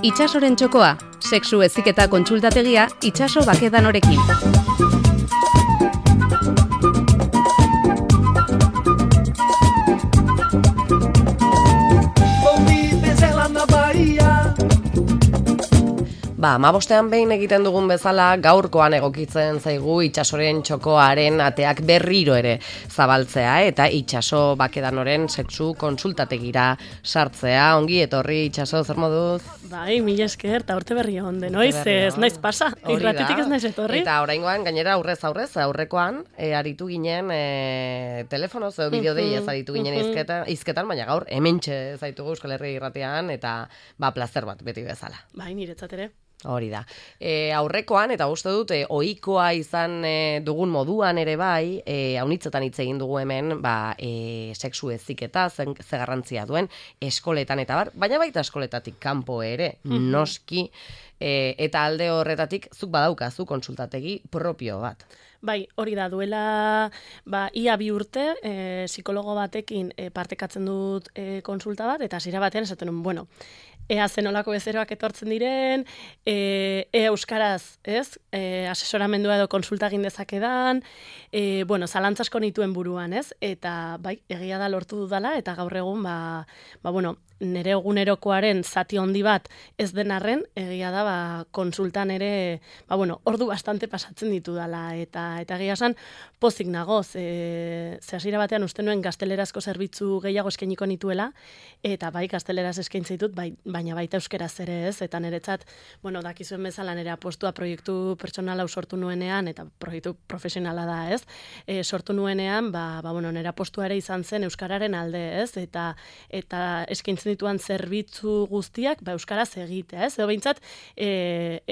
Itsasoren txokoa, sexu heziketa kontsultategia Itsaso Bakedanorekin. Amabostean behin egiten dugun bezala gaurkoan egokitzen zaigu Itsasoren txokoaren ateak berriro ere zabaltzea eta Itsaso Bakedanoren sexu kontsultategira sartzea. Ongi etorri Itsaso, zer moduz? Bai, mila esker, eta urte berri on denoiz, ez naiz pasa, irratetik ez naiz etorri. Eta oraingoan gainera aurrekoan aritu ginen telefonoz, bideodei ez aritu ginen izketan, baina gaur hementxe zaitugu Euskal Herria irratean eta plazer bat beti bezala. Bai, niretzat ere. Hori da. Aurrekoan, eta uste dut, ohikoa izan dugun moduan ere bai, haunitzetan hitz egin dugu hemen, sexu heziketa, ze garrantzia duen, eskoletan eta bar, baina baita eskoletatik kanpo ere, noski, eta alde horretatik zuk badaukazu kontsultategi propio bat. Bai, hori da, duela ia 2 urte psikologo batekin partekatzen dut kontsulta bat, eta hasiera batean esaten nuen, ea zenolako bezeroak etortzen diren, ea euskaraz, ez? Asesoramendua edo konsulta egin dezakedan, zalantza asko nituen buruan, ez? Eta bai, egia da lortu dudala, eta gaur egun, nire egunerokoaren zati handi bat ez den arren, egia da konsultan ere, ordu bastante pasatzen ditudala, eta egia esan pozik nagoz, ze hasiera batean uste nuen gaztelerazko zerbitzu gehiago eskainiko nituela, eta bai gazteleraz eskaintzen ditut, baina baita euskeraz ere ez, eta niretzat, dakizuen bezala nire apostua proiektu pertsonala sortu nuenean, eta proiektu profesionala da ez, sortu nuenean, nire apostua ere izan zen euskararen alde ez, eta eskaintzen dituan zerbitzu guztiak euskaraz egitea ez, edo behintzat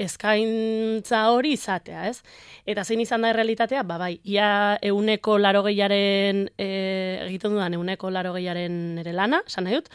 eskaintza hori izatea ez, eta zein izan da errealitatea, ia 180aren egiten dudan 180aren nire lana, esan nahi dut,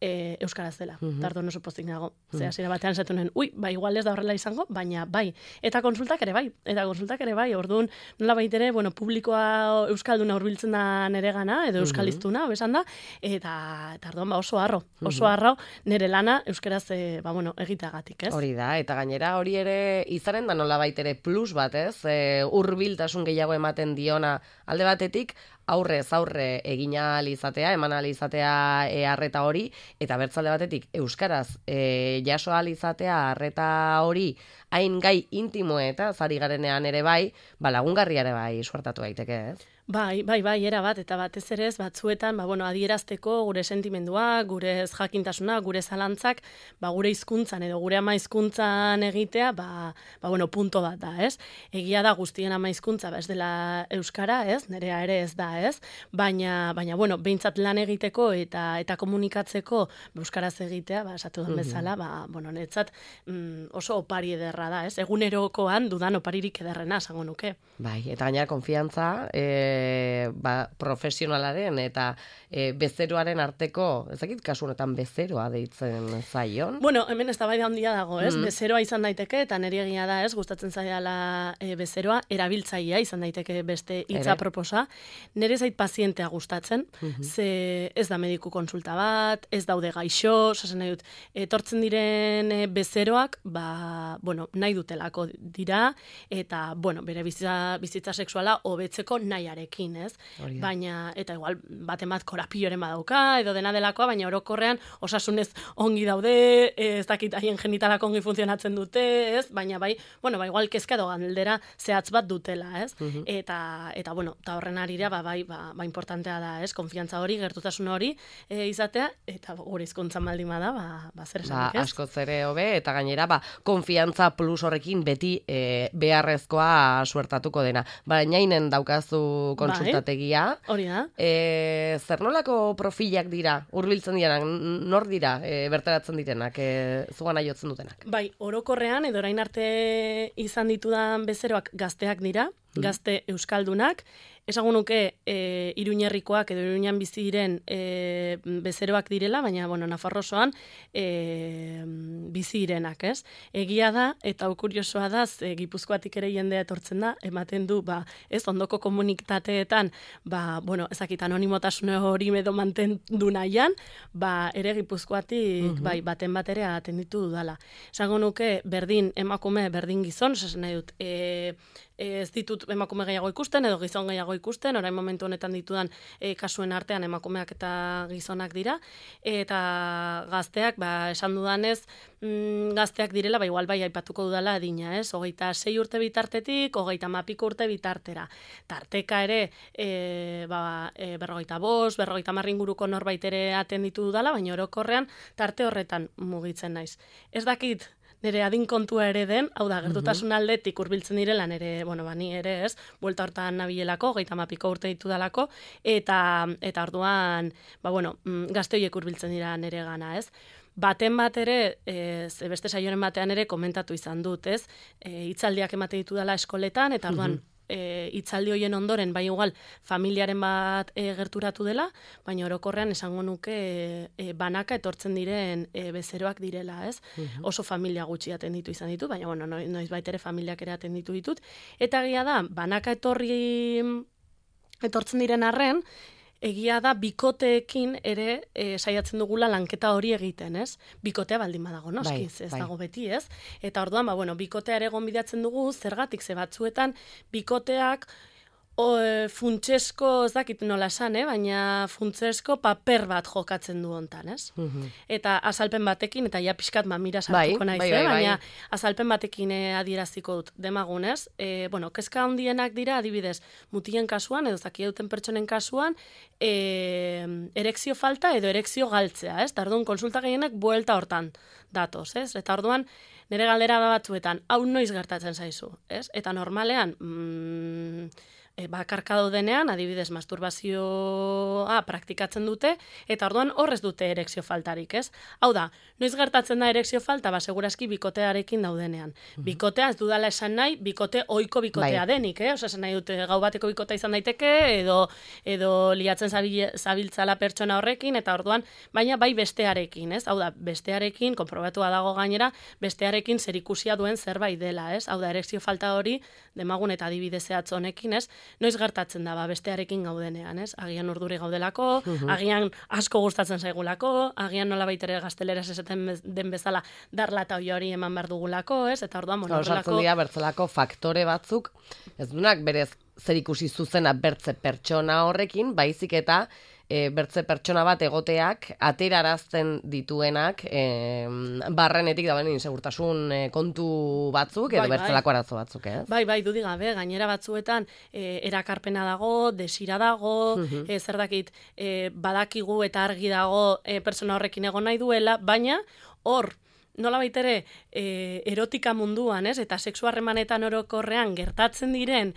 euskaraz dela, tardo oso pozik nago. Ze hasiera batean esatu nuen, igual ez da horrela izango, baina bai. Eta konsultak ere bai, orduan nola baitere, publikoa euskalduna hurbiltzen da nere gana, edo euskaliztuna, besan da, eta orduan oso harro nire lana euskaraz egiteagatik, ez? Hori da, eta gainera hori ere izanen da nola baitere plus bat, ez? Hurbiltasun gehiago ematen diona alde batetik, aurrez aurre egin ahal izatea, eman ahal izatea arreta hori, eta bertzalde batetik euskaraz jaso ahal izatea arreta hori hain gai intimoeta zari garenean ere bai, lagungarria ere bai suertatu daiteke, ez? Bai, era bat, eta batez ere ez batzuetan, adierazteko gure sentimendua, gure jakintasuna, gure zalantzak, gure hizkuntzan edo gure ama hizkuntzan egitea, punto bat da, ez? Egia da guztien ama hizkuntza, ez dela euskara, ez? Nerea ere ez da, ez? Baina, behintzat lan egiteko eta komunikatzeko euskaraz egitea, esatu den bezala, netzat oso opari ederra da, ez? Egunerokoan dudan oparirik ederrena, esango nuke. Bai, eta gainera konfiantza, profesionalaren eta bezeroaren arteko, ezakit kasu honetan bezeroa deitzen zaion? Hemen eztabaida handia dago, ez? Bezeroa izan daiteke, eta niri egia da, ez? Gustatzen zaidala bezeroa, erabiltzailea izan daiteke beste hitza proposa. Nire zait pazientea gustatzen, ze ez da mediku konsulta bat, ez daude gaixo, zazen nahi dut, etortzen diren bezeroak, nahi dutelako dira, eta, bere bizitza sexuala hobetzeko nahiarekin, ez? Baina, eta igual, bat korapioren badauka, edo dena delakoa, baina orokorrean osasunez ongi daude, ez dakit haien genitalak ongi funtzionatzen dute, ez? Baina igual kezka edo galdera zehatz bat dutela, ez? Eta horren arira, importantea da, ez? Konfiantza hori, gertutasun hori izatea, eta gure hizkuntzan baldin bada, zer esanik, ez? Askoz ere hobe, eta gainera, konfiantza plus horrekin beti beharrezkoa suertatuko dena. Bainainen daukazu kontsultategia. Hori da. Zer nolako profilak dira, hurbiltzen direnak, nor dira, bertaratzen direnak, zugan aiotzen dutenak? Bai, orokorrean, edo orain arte izan ditudan bezeroak gazteak dira, gazte euskaldunak, Esagun nuke Iruñerrikoak edo Iruñan bizi diren bezeroak direla, baina, bueno, Nafarro osoan bizi direnak, ez? Egia da, eta kuriosoa da, Gipuzkoatik ere jendea etortzen da, ematen du, ez ondoko komunitateetan, bueno, ezakit anonimotasun hori edo mantendu nahian, ere Gipuzkoatik, baten bat ere atenditu dudala. Esagun nuke, berdin emakume, berdin gizon, esasen nahi dut, ez ditut emakume gehiago ikusten, edo gizon gehiago ikusten, orain momentu honetan ditudan kasuen artean emakumeak eta gizonak dira, eta gazteak, esan dudanez, gazteak direla, igual aipatuko dudala adina, ez? 26 urte bitartetik, 30 urte bitartera. Tarteka ere, 45, 50 inguruko norbait ere atenditu dudala, baina orokorrean tarte horretan mugitzen naiz. Ez dakit, nire adin kontua ere den, hau da, gertutasun aldetik hurbiltzen direla, nire, ni ere ez, buelta hortan nabilelako, 30 urte ditu dalako, eta orduan, gazte horiek hurbiltzen dira nire gana, ez? Baten bat ere, beste saioren batean ere komentatu izan dut, ez? Hitzaldiak emate ditu dela eskoletan, eta orduan, hitzaldi hoien ondoren, igual, familiaren bat gerturatu dela, baina orokorrean esango nuke banaka etortzen diren bezeroak direla, ez? Oso familia gutxi atenditu izan ditu, baina, noiz baitere familiak ere atenditu ditut. Eta egia da, banaka etortzen diren arren, egia da, bikoteekin ere saiatzen dugula lanketa hori egiten, ez? Bikotea baldin badago, noskiz, ez dago beti, ez? Eta orduan, bikotea ere gonbidatzen dugu, zergatik, ze batzuetan, bikoteak funtsesko, ez dakit nola esan, baina funtsesko paper bat jokatzen du hontan, ez? Eta azalpen batekin, eta ja pixkat mamira sartuko naiz, baina azalpen batekin adieraziko dut demagunez. Kezka handienak dira, adibidez, mutien kasuan, edo zaki duten pertsonen kasuan, erekzio falta edo erekzio galtzea, ez? Eta orduan, konsulta gehienak buelta hortan datoz, ez? Eta orduan, nire galdera batzuetan, hau noiz gertatzen zaizu, ez? Eta normalean, bakarka daudenean, adibidez, masturbazioa praktikatzen dute, eta orduan horrez dute erekzio faltarik, ez? Hau da, noiz gertatzen da erekzio falta, segurazki bikotearekin daudenean. Bikotea ez dudala esan nahi, bikote ohiko bikotea denik, Osa esan nahi dute gau bateko bikotea izan daiteke, edo liatzen zabiltzala pertsona horrekin, eta orduan, baina bai bestearekin, ez? Hau da, bestearekin, konprobatua dago gainera, bestearekin zerikusia duen zerbait dela, ez? Hau da, erekzio falta hori, demagun eta adibidez zehatz honekin, ez? Noiz gertatzen da, bestearekin gaudenean, ez? Agian urduri gaudelako, agian asko gustatzen zaigulako, agian nola baitere gazteleraz esaten den bezala darlata hori eman behar dugulako, ez? Eta orduan, sartzen dira bertzelako faktore batzuk, ez dunak berez zerikusi zuzena bertze pertsona horrekin, baizik eta bertze pertsona bat egoteak aterarazten dituenak barrenetik dauen insegurtasun kontu batzuk edo bertzelako arazo batzuk, ez? Bai, dudik gabe, gainera batzuetan erakarpena dago, desira dago, zer dakit badakigu eta argi dago pertsona horrekin egon nahi duela, baina hor, nola baitere erotika munduan, ez? Eta sexu harremanetan orokorrean gertatzen diren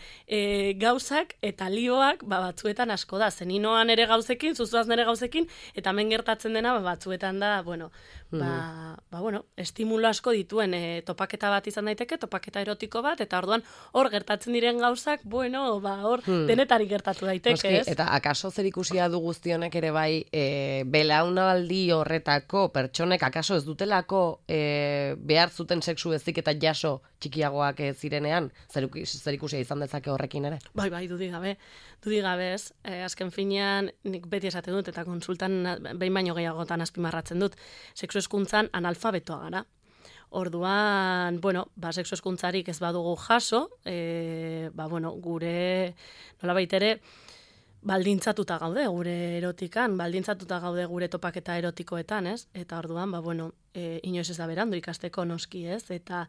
gauzak eta lioak batzuetan asko da. Zeninoan ere gauzekin, zuzuaz nere gauzekin, eta hemen gertatzen dena batzuetan da, estimulo asko dituen topaketa bat izan daiteke, topaketa erotiko bat, eta orduan hor gertatzen diren gauzak, hor denetarik gertatu daiteke, ez? Eta akaso zerikusia du guztionek ere bai belaunaldi horretako pertsonek akaso ez dutelako behar zuten sexu ezik eta jaso txikiagoak zirenean, zerikusia izan dezake horrekin ere? Bai, dudik gabe ez. Azken finean, nik beti esaten dut, eta konsultan behin baino gehiagotan azpimarratzen dut, sexu hezkuntzan analfabetoa gara. Orduan, sexu hezkuntzarik ez badugu jaso, gure nolabait ere, baldintzatuta gaude gure erotikan, baldintzatuta gaude gure topaketa erotikoetan, ez? Eta orduan, inoiz ez da berandu ikasteko noski, ez? Eta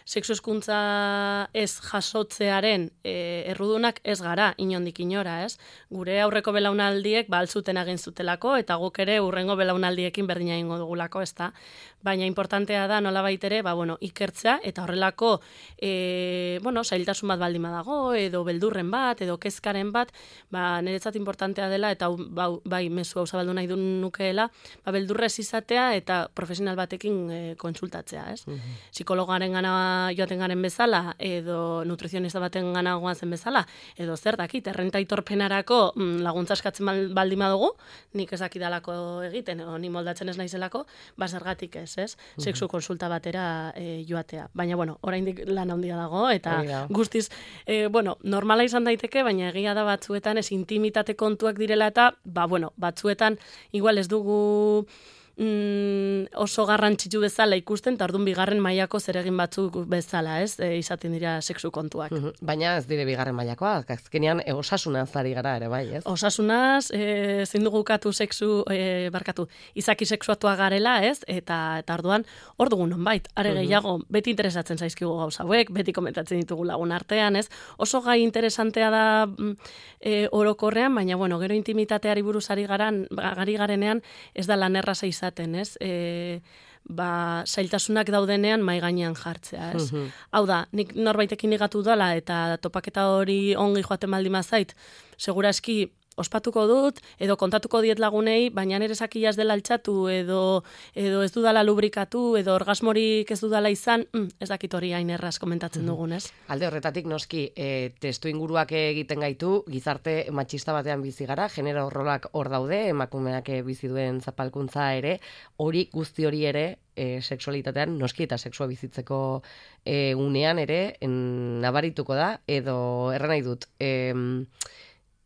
sexu hezkuntza ez jasotzearen errudunak ez gara, inondik inora, ez? Gure aurreko belaunaldiek altzuten egin zutelako, eta guk ere urrengo belaunaldiekin berdina egingo dugulako, ez da? Baina importantea da nolabait ere, ikertzea, eta horrelako, zailtasun bat baldin badago, edo beldurren bat, edo kezkaren bat, niretzat importantea dela, eta mezu hau zabaldu nahi du nukeela, beldurrez izatea, eta profesional batekin kontsultatzea, ez? Psikologaren gana joaten garen bezala, edo nutrizionista baten gana goazen bezala, edo zer dakit, errenta aitorpenarako laguntza eskatzen baldin badugu, nik ez dakidalako egiten, edo ni moldatzen ez naizelako, zergatik ez? Sexu konsulta batera joatea. Baina, bueno, oraindik lan handia dago, eta guztiz, normala izan daiteke, baina egia da batzuetan ez intimitate kontuak direla eta, batzuetan igual ez dugu oso garrantzitsu bezala ikusten, eta orduan bigarren mailako zeregin batzuk bezala, ez? Izaten dira sexu kontuak. Baina ez dire bigarren mailakoak, azkenean osasunaz ari gara ere, bai, ez? Osasunaz, ezin dugu ukatu izaki sexuatua garela, ez? Eta orduan, hor dugu nonbait, are gehiago, beti interesatzen zaizkigu gauza hauek, beti komentatzen ditugu lagun artean, ez? Oso gai interesantea da orokorrean, baina, gero intimitateari buruz ari garenean, ez da lan erraza izaten, ez? Zailtasunak daudenean mai gainean jartzea, ez? Hau da, nik norbaitekin ligatu dela eta topaketa hori ongi joaten baldin bazait, seguraski ospatuko dut, edo kontatuko diet lagunei, baina nire sakia ez dela altxatu, edo ez dudala lubrikatu, edo orgasmorik ez dudala izan, ez dakit hori hain erraz komentatzen dugun, ez? Alde horretatik noski, testu inguruak egiten gaitu, gizarte matxista batean bizi gara, genero rolak hor daude, emakumeak bizi duen zapalkuntza ere, guzti hori ere, sexualitatean noski eta sexua bizitzeko unean ere, nabarituko da, edo erran nahi dut,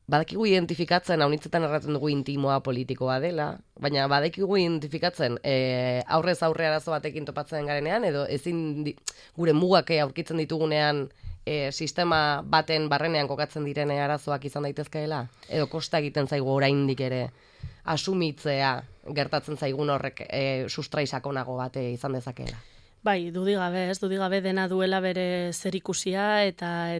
badakigu identifikatzen, haunitzetan erraten dugu intimoa politikoa dela, baina badakigu identifikatzen aurrez aurre arazo batekin topatzen garenean, edo ezin gure mugak aurkitzen ditugunean sistema baten barrenean kokatzen direne arazoak izan daitezkeela, edo kosta egiten zaigu oraindik ere asumitzea gertatzen zaigun horrek sustrai sakonago bate izan dezakeela. Bai, dudigabe dena duela bere zerikusia eta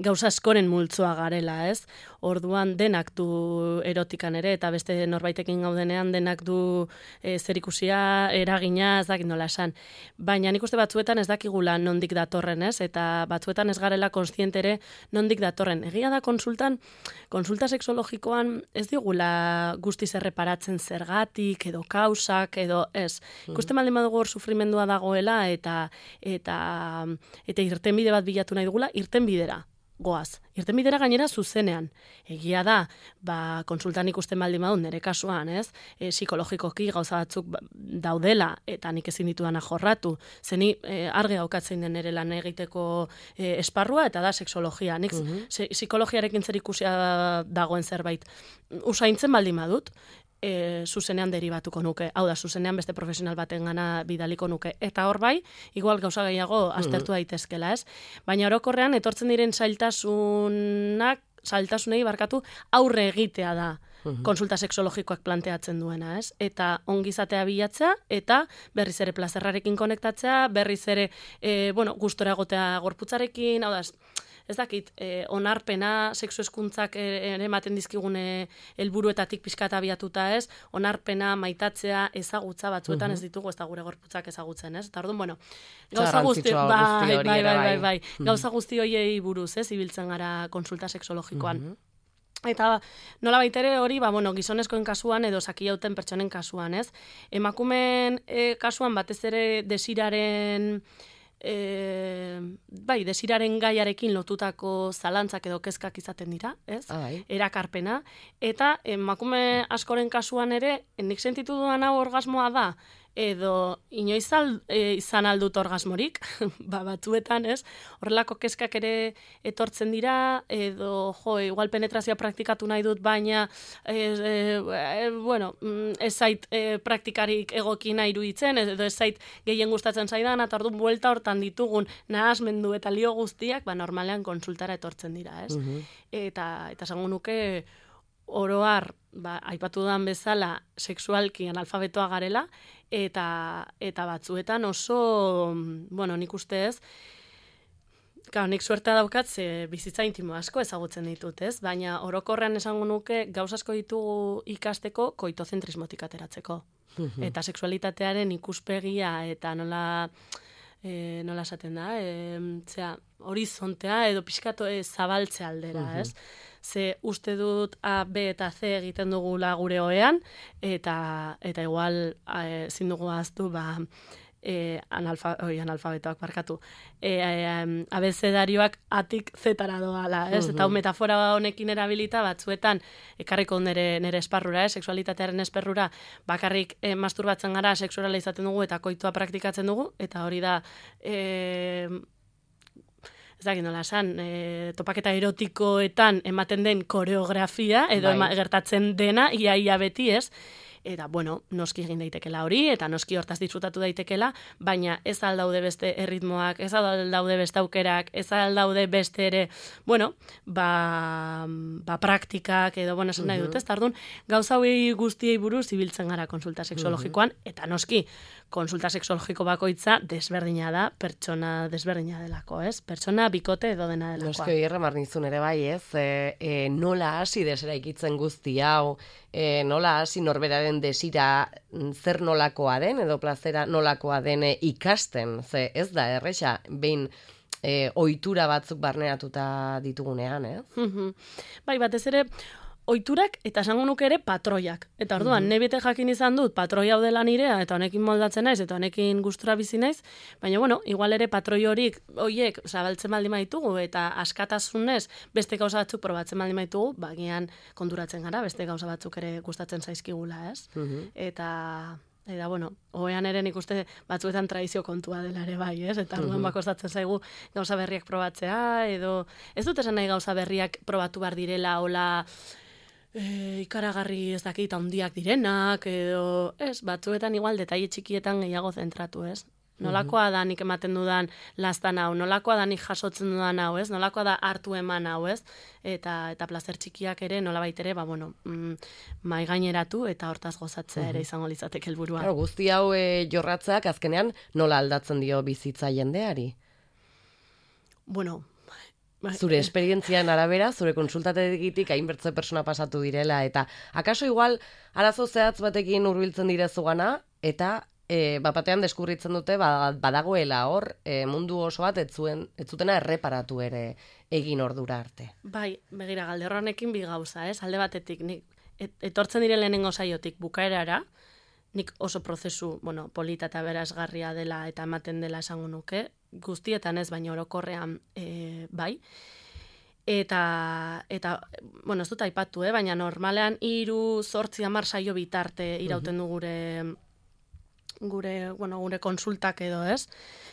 gauza askoren multzoa garela, ez? Orduan denak du erotikan ere, eta beste norbaitekin gaudenean denak du zerikusia, eragina, ez dakit nola esan. Baina nik uste batzuetan ez dakigula nondik datorren, ez? Eta batzuetan ez garela konstientere nondik datorren. Egia da konsulta sexologikoan ez digula guztiz erreparatzen zergatik, edo kausak, edo ez. Ikusten baldin badugu hor sufrimendua dagoela, eta irtenbide bat bilatu nahi dugula, irtenbidera goaz. Irtenbidera gainera zuzenean. Egia da, konsultan ikusten baldin badun, nire kasuan, ez? Psikologikoki gauza batzuk daudela, eta nik ezin ditudana jorratu. Zeni argi gaukatzen den nire lan egiteko esparrua, eta da sexologia. Nik psikologiarekin zer ikusia dagoen zerbait. Usaintzen baldin badut, zuzenean deribatuko nuke. Hau da, zuzenean beste profesional baten gana bidaliko nuke. Eta hor bai, igual gauza gehiago aztertu daitezkela, ez? Baina orokorrean, etortzen diren zailtasunei aurre egitea da konsulta sexologikoak planteatzen duena, ez? Eta ongizatea bilatzea, eta berriz ere plazerrarekin konektatzea, berriz ere, gustora egotea gorputzarekin, hau da, ez dakit, onarpena, sexu hezkuntzak ere ematen dizkigune helburuetatik pixkata abiatuta, ez? Onarpena, maitatzea, ezagutza batzuetan ez ditugu, ez da gure gorputzak ezagutzen, ez? Eta orduan, gauza guzti horiei buruz, ez? Ibiltzen gara konsulta sexologikoan. Eta nola baitere hori, gizonezkoen kasuan edo sakiauten pertsonen kasuan, ez? Emakumeen kasuan batez ere desiraren gaiarekin lotutako zalantzak edo kezkak izaten dira, ez? Erakarpena. Eta emakume askoren kasuan ere, nik sentitu duan hau orgasmoa da, edo inoiz izan aldut orgasmorik, batzuetan, ez? Horrelako kezkak ere etortzen dira, edo, igual penetrazioa praktikatu nahi dut, baina, ez zait praktikarik egokina iruditzen, edo ez zait gehien gustatzen zaidan, eta orduan buelta hortan ditugun nahasmendu eta lio guztiak, normalean konsultara etortzen dira, ez? Eta esango nuke, oroar, aipatu dudan bezala, sexualki analfabetoa garela, eta batzuetan oso, nik uste ez, nik suertea daukat, bizitza intimo asko ezagutzen ditut, ez? Baina orokorrean esango nuke, gauz asko ditugu ikasteko koitozentrismotik ateratzeko. Eta sexualitatearen ikuspegia, eta nola esaten da, horizontea edo pixkato zabaltze aldera, ez? ze uste dut A, B eta C egiten dugula gure ohean, eta igual ezin dugu ahaztu, analfabetoak barkatu. Abezedarioak atik zetara doala, ez? Eta metafora honekin erabilita batzuetan ekarriko nere esparrura, sexualitatearen esparrura, bakarrik masturbatzen gara, sexuala izaten dugu eta koitua praktikatzen dugu, eta hori da ez dakit nola esan, topaketa erotikoetan ematen den koreografia, edo gertatzen dena, ia beti, ez? Eta, bueno, noski egin daitekela hori, eta noski hortaz disfrutatu daitekela, baina ez aldaude beste erritmoak, ez aldaude beste aukerak, ez aldaude beste ere, bueno, praktikak, edo, bueno, esan nahi dut, ez? Tardun, gauza hori guztiei buruz ibiltzen gara konsulta sexologikoan, eta noski, konsulta sexologiko bakoitza desberdina da, pertsona desberdina delako, ez? Pertsona bikote edo dena delakoa. Noski hori erremarnizun ere bai, ez? Nola hasi desera ikitzen guzti hau, nola hasi norberaren desira zer nolakoa den, edo plazera nolakoa den ikasten, ze ez da erresa, behin ohitura batzuk barneratuta ditugunean, ez? Bai, batez ere, ohiturak eta esango nuke ere patroiak. Eta orduan, nebete jakin izan dut patroi hau dela nirea, eta honekin moldatzen naiz, eta honekin gustura bizi naiz, baina, bueno, igual ere patroi horiek zabaltzen baldin baitugu, eta askatasunez beste gauza batzuk probatzen baldin baitugu, bagian konturatzen gara, beste gauza batzuk ere gustatzen zaizkigula, ez? Eta, bueno, ohean ere nik uste batzuetan tradizio kontua dela ere bai, ez? Eta orduan bakostatzen zaigu gauza berriak probatzea, edo ez dut esan nahi gauza berriak probatu behar direla, hola ikaragarri ez dakit handiak direnak, edo ez, batzuetan igual detaile txikietan gehiago zentratu, ez? Nolakoa da nik ematen dudan lastan hau, nolakoa da nik jasotzen dudan hau, ez? Nolakoa da hartu eman hau, ez? Eta plazer txikiak ere, nolabait ere, mai gaineratu eta hortaz gozatzea ere izango litzateke helburua. Claro, guzti hau jorratzeak azkenean nola aldatzen dio bizitza jendeari? Bueno, zure esperientzian arabera, zure konsultategitik hainbertze persona pasatu direla, eta akaso igual arazo zehatz batekin hurbiltzen direzugana, eta bapatean deskubritzen dute badagoela hor mundu oso bat ez zutena erreparatu ere egin ordura arte. Bai, begira, galde honekin bi gauza, ez? Alde batetik, nik etortzen dire lehenengo saiotik bukaerara, nik oso prozesu, polita eta berazgarria dela eta ematen dela esango nuke, guztietan ez, baina orokorrean bai. Eta ez dut aipatu, baina normalean 3, 8, 10 saio bitarte irauten du gure konsultak edo, ez?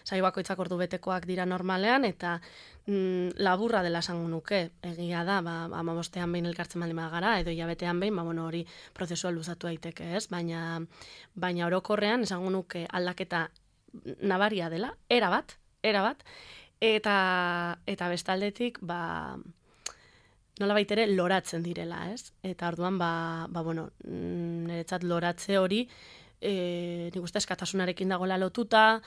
Saio bakoitzak ordu betekoak dira normalean, eta laburra dela esango nuke, egia da, 15ean behin elkartzen baldin bagara, edo hilabetean behin, hori prozesua luzatu daiteke, ez? Baina orokorrean esango nuke aldaketa nabaria dela, erabat, eta bestaldetik, nolabait ere loratzen direla, ez? Eta orduan, niretzat loratze hori, nik uste eskatasunarekin dagoela lotuta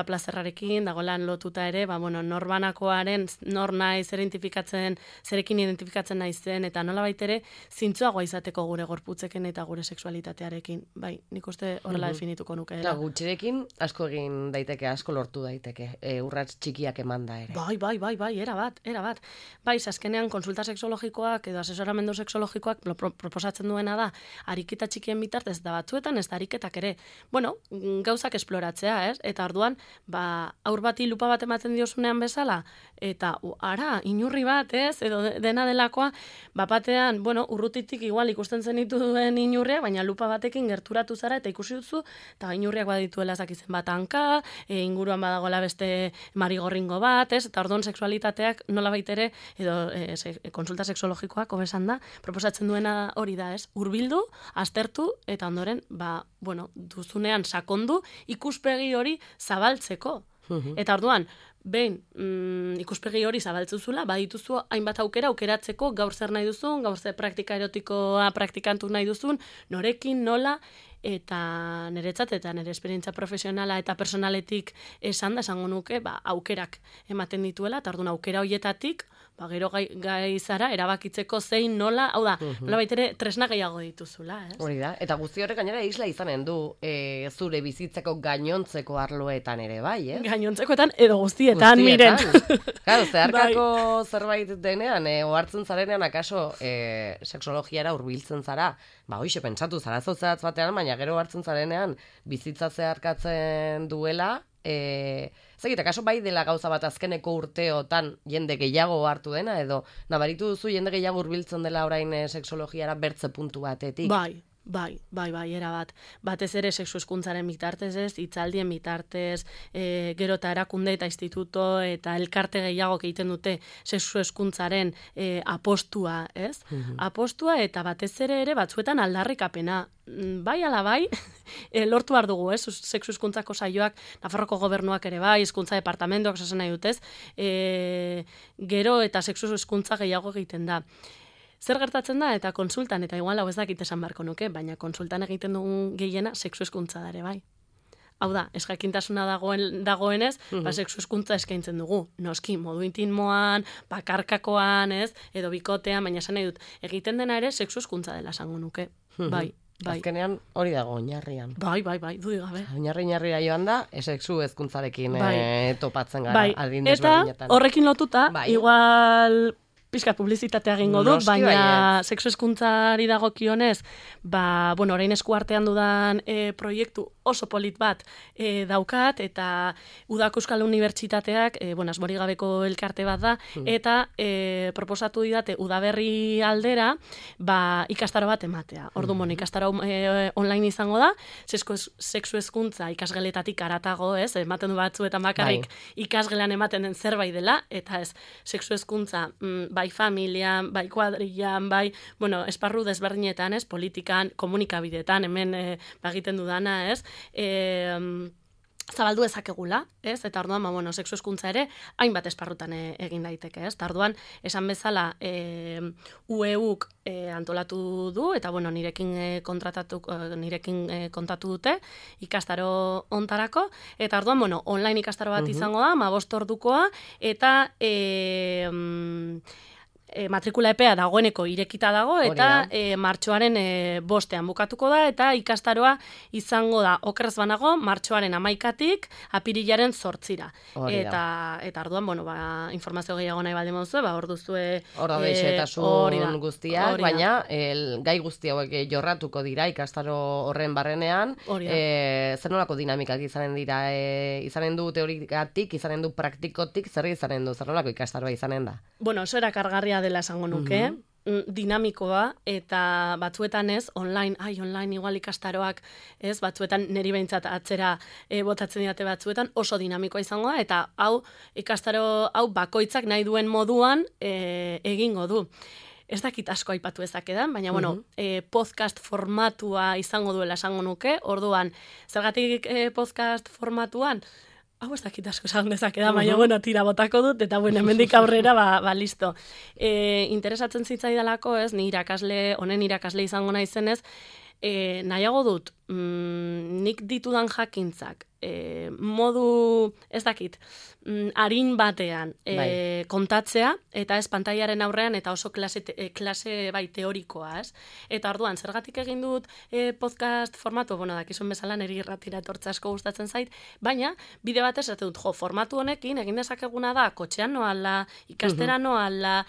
plazerrarekin, dagoela lotuta ere, norbanakoaren, nor nahi, zerekin identifikatzen naizen, eta nolabait ere, zintzoagoa izateko gure gorputzeken eta gure sexualitatearekin. Bai, nik uste horrela definituko nuke. Eta gutxirekin asko egin daiteke, asko lortu daiteke, urrats txikiak emanda ere. Bai, erabat. Bai, azkenean konsulta sexologikoak edo asesoramendu sexologikoak proposatzen duena da, ariketa txikien bitartez da batzuetan, ez da ariketak ere, gauzak esploratzea, ez? Eta orduan, aur bati lupa bat ematen diozunean bezala, eta inurri bat, ez? Edo dena delakoa, batean, urrutitik igual ikusten zenitu duen inurria, baina lupa batekin gerturatu zara eta ikusi duzu, eta inurriak badituela ezakizen bat hanka, inguruan badagoela beste marigorringo bat, ez? Eta orduan sexualitateak nolabait ere, edo konsulta sexologikoak hobesan da, proposatzen duena hori da, ez? Hurbildu, aztertu, eta ondoren, duzunean sakondu ikuspegi hori zabaltzeko. Eta orduan, behin ikuspegi hori zabaltzuzula, badituzu hainbat aukeratzeko gaur zer nahi duzun, gaur zer praktika erotikoa praktikantu nahi duzun, norekin, nola, eta niretzat eta nire esperientzia profesionala eta personaletik esango nuke, aukerak ematen dituela, eta orduan aukera horietatik, gero gai zara, erabakitzeko zein nola, hau da, nola baitere tresna gehiago dituzula, ez? Hori da, eta guzti horrek gainera isla izanen du zure bizitzeko gainontzeko arloetan ere, bai, ez? Gainontzekoetan edo guztietan, miren. Claro, zeharkako zerbait denean, ohartzen zarenean, akaso sexologiara hurbiltzen zara, hoixe pentsatu zara zotzatz batean, baina gero hartzen zarenean bizitza zeharkatzen duela, zegit, akaso bai dela gauza bat azkeneko urteotan jende gehiago hartu dena, edo nabaritu duzu jende gehiago hurbiltzen dela orain sexologiara bertze puntu batetik? Bai, erabat. Batez ere sexu hezkuntzaren bitartez ez, hitzaldien bitartez, gero eta erakunde eta instituto eta elkarte gehiago egiten dute sexu hezkuntzaren apostua, ez? Apostua eta batez ere batzuetan aldarrikapena. Bai ala bai, lortu behar dugu, ez? Sexu hezkuntzako saioak, Nafarroko gobernuak ere bai, hezkuntza departamentoak esasen nahi dutez, gero eta sexu hezkuntza gehiago egiten da. Zer gertatzen da, eta konsultan, eta igual hau ez dakit esan beharko nuke, baina konsultan egiten dugun gehiena sexu hezkuntza da ere bai. Hau da, ez jakintasuna dagoenez, sexu hezkuntza eskaintzen dugu. Noski, modu intimoan, bakarkakoan, ez, edo bikotean, baina esan nahi dut, egiten dena ere sexu hezkuntza dela esango nuke. Bai. Azkenean hori dago oinarrian. Bai, dudik gabe. Oinarri-oinarrira joan da, sexu hezkuntzarekin topatzen gara. Eta horrekin lotuta, igual pixka publizitatea egingo dut, baina sexu hezkuntzari dagokionez, orain eskuartean dudan proiektu oso polit bat daukat, eta Udako Euskal Unibertsitateak, asmori gabeko elkarte bat da, eta proposatu didate udaberri aldera, ikastaro bat ematea. Orduan, ikastaro online izango da, sexu hezkuntza ikasgeletatik aratago, ez, ematen du batzuetan bakarrik ikasgelan ematen den zerbait dela, eta ez, sexu hezkuntza bai familian, bai kuadrillan, bai, esparru desberdinetan, ez, politikan, komunikabideetan, hemen egiten dudana, ez, zabaldu ezakegula, ez? Eta orduan, sexu hezkuntza ere, hainbat esparrutan egin daiteke, ez? Eta orduan, esan bezala, UEUk antolatu du, eta nirekin kontatu dute, ikastaro ontarako, eta orduan, online ikastaro bat izango da, 15 ordukoa, eta matrikula epea dagoeneko irekita dago, eta martxoaren 5ean bukatuko da, eta ikastaroa izango da, okerrez banago, martxoaren 11tik apirilaren 8ra. Eta orduan, informazio gehiago nahi baldin moduzu, hor duzue... Hor da deixetasun guztiak, baina gai guzti hauek jorratuko dira ikastaro horren barrenean, zer nolako dinamikak izanen dira, izanen du teorikatik, izanen du praktikotik, zer izanen du, zer nolako ikastaroa izanen da? Oso erakargarria dela esango nuke, dinamikoa, eta batzuetan ez, online igual ikastaroak, ez, batzuetan niri behintzat atzera botatzen didate batzuetan, oso dinamikoa izango da, eta ikastaro hau bakoitzak nahi duen moduan egingo du. Ez dakit asko aipatu ezakedan, baina, podcast formatua izango duela esango nuke, orduan, zergatik podcast formatuan, hau ez dakit asko esan dezakeda, baina, tira botako dut, eta hemendik aurrera, listo. Interesatzen zitzaidalako, ez, honen irakasle izango naizenez, nahiago dut, nik ditudan jakintzak, modu, ez dakit, arin batean kontatzea, eta ez pantailaren aurrean, eta oso klase bai teorikoa, ez? Eta orduan, zergatik egin dut podcast formatu, dakizuen bezala niri irratira etortza asko gustatzen zait, baina, bide batez, ez dut, formatu honekin, egin dezakeguna da, kotxean noala, ikastera noala,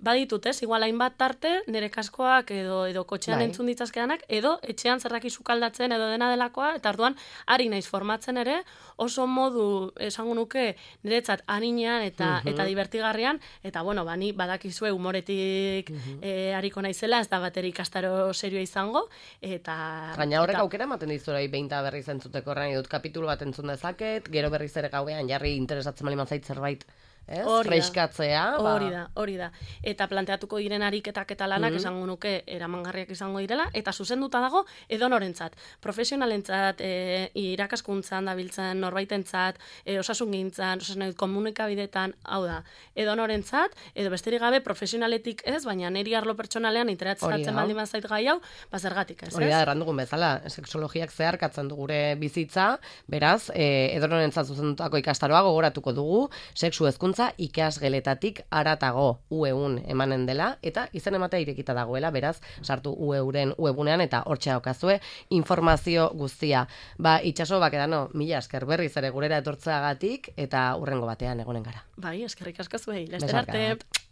baditut, ez? Igual hainbat tarte, nire kaskoak edo kotxean entzun ditzazkedanak, edo etxean zerraki sukaldatzen edo dena delakoa, eta orduan, ari naiz formatzen ere, oso modu esango nuke niretzat arinean eta divertigarrian, eta ni badakizue humoretik ariko naizela, ez da bateri ikastaro serioa izango, eta... Baina horrek aukera ematen dizurai behin eta berriz entzuteko horrein dut kapitulu bat entzun dezaket, gero berriz ere gauean jarri interesatzen bali mazait zerbait, freiskatzea. Hori da. Eta planteatuko diren ariketak eta lanak esango nuke eramangarriak izango direla, eta zuzenduta dago edonorentzat. Profesionalentzat, irakaskuntzan dabiltzen norbaitentzat, osasungintzan, komunikabidetan, hau da, edonorentzat, edo besterik gabe profesionaletik ez, baina niri arlo pertsonalean interesatzen baldin bazait gai hau, zergatik ez. Hori da, errandugun bezala, sexologiak zeharkatzen du gure bizitza, beraz, edonorentzat zuzendutako ikastaroa gogoratuko dugu, sexu hezkuntza hezkuntza ikasgeletatik aratago UE1 emanen dela, eta izen ematea irekita dagoela, beraz, sartu UE-uren webunean, eta hortxe daukazue informazio guztia. Itxaso, Bakedano, mila esker berriz ere gurera etortzeagatik, eta hurrengo batean egonen gara. Bai, eskerrik asko zuei, laster arte.